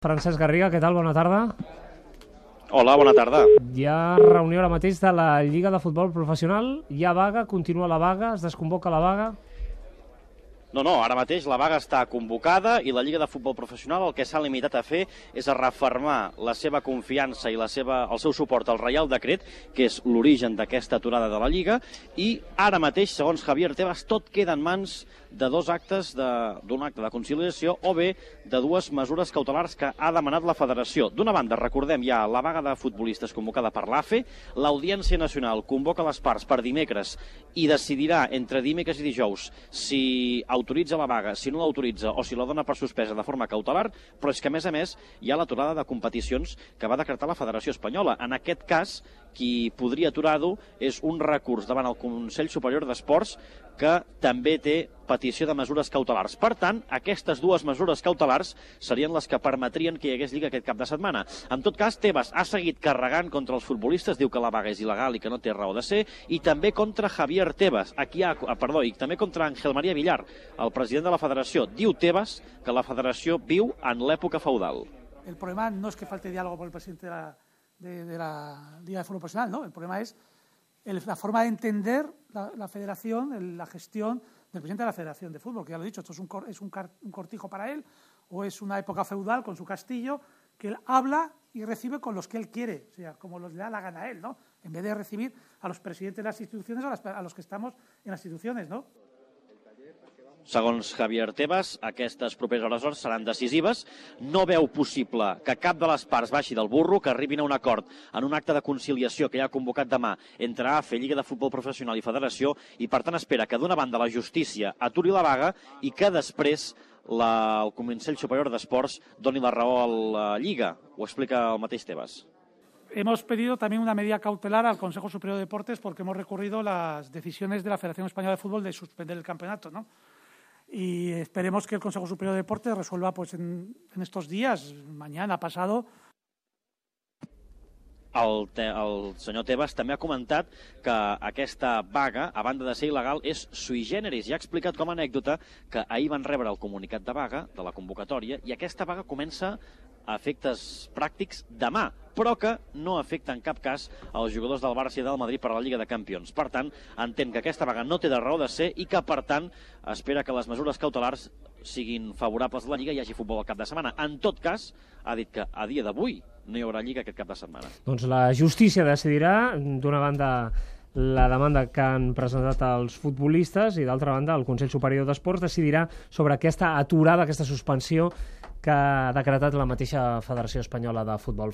Francesc Garriga, què tal? Bona tarda. Hola, bona tarda. Hi ha reunió ara mateix de la Lliga de Futbol Professional. Hi ha vaga, continua la vaga, es desconvoca la vaga? No, ara mateix la vaga està convocada i la Lliga de Futbol Professional el que s'ha limitat a fer és a refermar la seva confiança i el seu suport al Reial Decret, que és l'origen d'aquesta aturada de la Lliga, i ara mateix, segons Javier Tebas, tot queda en mans de dos actes, d'un acte de conciliació o bé de dues mesures cautelars que ha demanat la Federació. D'una banda, recordem, hi ha la vaga de futbolistes convocada per l'AFE, l'Audiència Nacional convoca les parts per dimecres i decidirà entre dimecres i dijous si autoritza la vaga, si no l'autoritza o si la dona per suspesa de forma cautelar, però és que, a més, hi ha l'aturada de competicions que va decretar la Federació Espanyola. En aquest cas, qui podria aturar-ho és un recurs davant el Consell Superior d'Esports que també té petició de mesures cautelars. Per tant, aquestes dues mesures cautelars serien les que permetrien que hi hagués Lliga aquest cap de setmana. En tot cas, Tebas ha seguit carregant contra els futbolistes, diu que la vaga és il·legal i que no té raó de ser, i també contra Javier Tebas, i també contra Ángel María Villar, el president de la Federació. Diu Tebas que la Federació viu en l'època feudal. El problema no es que falte diálogo por el presidente de la Liga de Fútbol Profesional, ¿no? El problema es la forma de entender la federación, la gestión del presidente de la Federación de Fútbol, que ya lo he dicho, esto es un cortijo para él, o es una época feudal con su castillo, que él habla y recibe con los que él quiere, o sea, como los le da la gana a él, ¿no? En vez de recibir a los presidentes de las instituciones, a los que estamos en las instituciones, ¿no? Segons Javier Tebas, aquestes properes hores seran decisives. No veu possible que cap de les parts baixi del burro, que arribin a un acord en un acte de conciliació que ja ha convocat demà entre AFE, Lliga de Futbol Professional i Federació, i per tant espera que d'una banda la justícia aturi la vaga i que després el Consell Superior d'Esports doni la raó a la Lliga. Ho explica el mateix Tebas. Hemos pedido también una medida cautelar al Consejo Superior de Deportes porque hemos recurrido las decisiones de la Federación Española de Fútbol de suspender el campeonato, ¿no? Y esperemos que el Consejo Superior de Deportes resuelva pues en estos días, mañana, pasado. El senyor Tebas també ha comentat que aquesta vaga, a banda de ser il·legal, és sui generis i ha explicat com a anècdota que ahir van rebre el comunicat de vaga, de la convocatòria, i aquesta vaga comença a efectes pràctics demà, però que no afecta en cap cas als jugadors del Barça i del Madrid per a la Lliga de Campions. Per tant, entén que aquesta vaga no té de raó de ser i que, per tant, espera que les mesures cautelars siguin favorables a la Lliga i hi hagi futbol al cap de setmana. En tot cas, ha dit que a dia d'avui no hi haurà Lliga aquest cap de setmana. Doncs la justícia decidirà, d'una banda, la demanda que han presentat els futbolistes i, d'altra banda, el Consell Superior d'Esports decidirà sobre aquesta aturada, aquesta suspensió que ha decretat la mateixa Federació Espanyola de Futbol.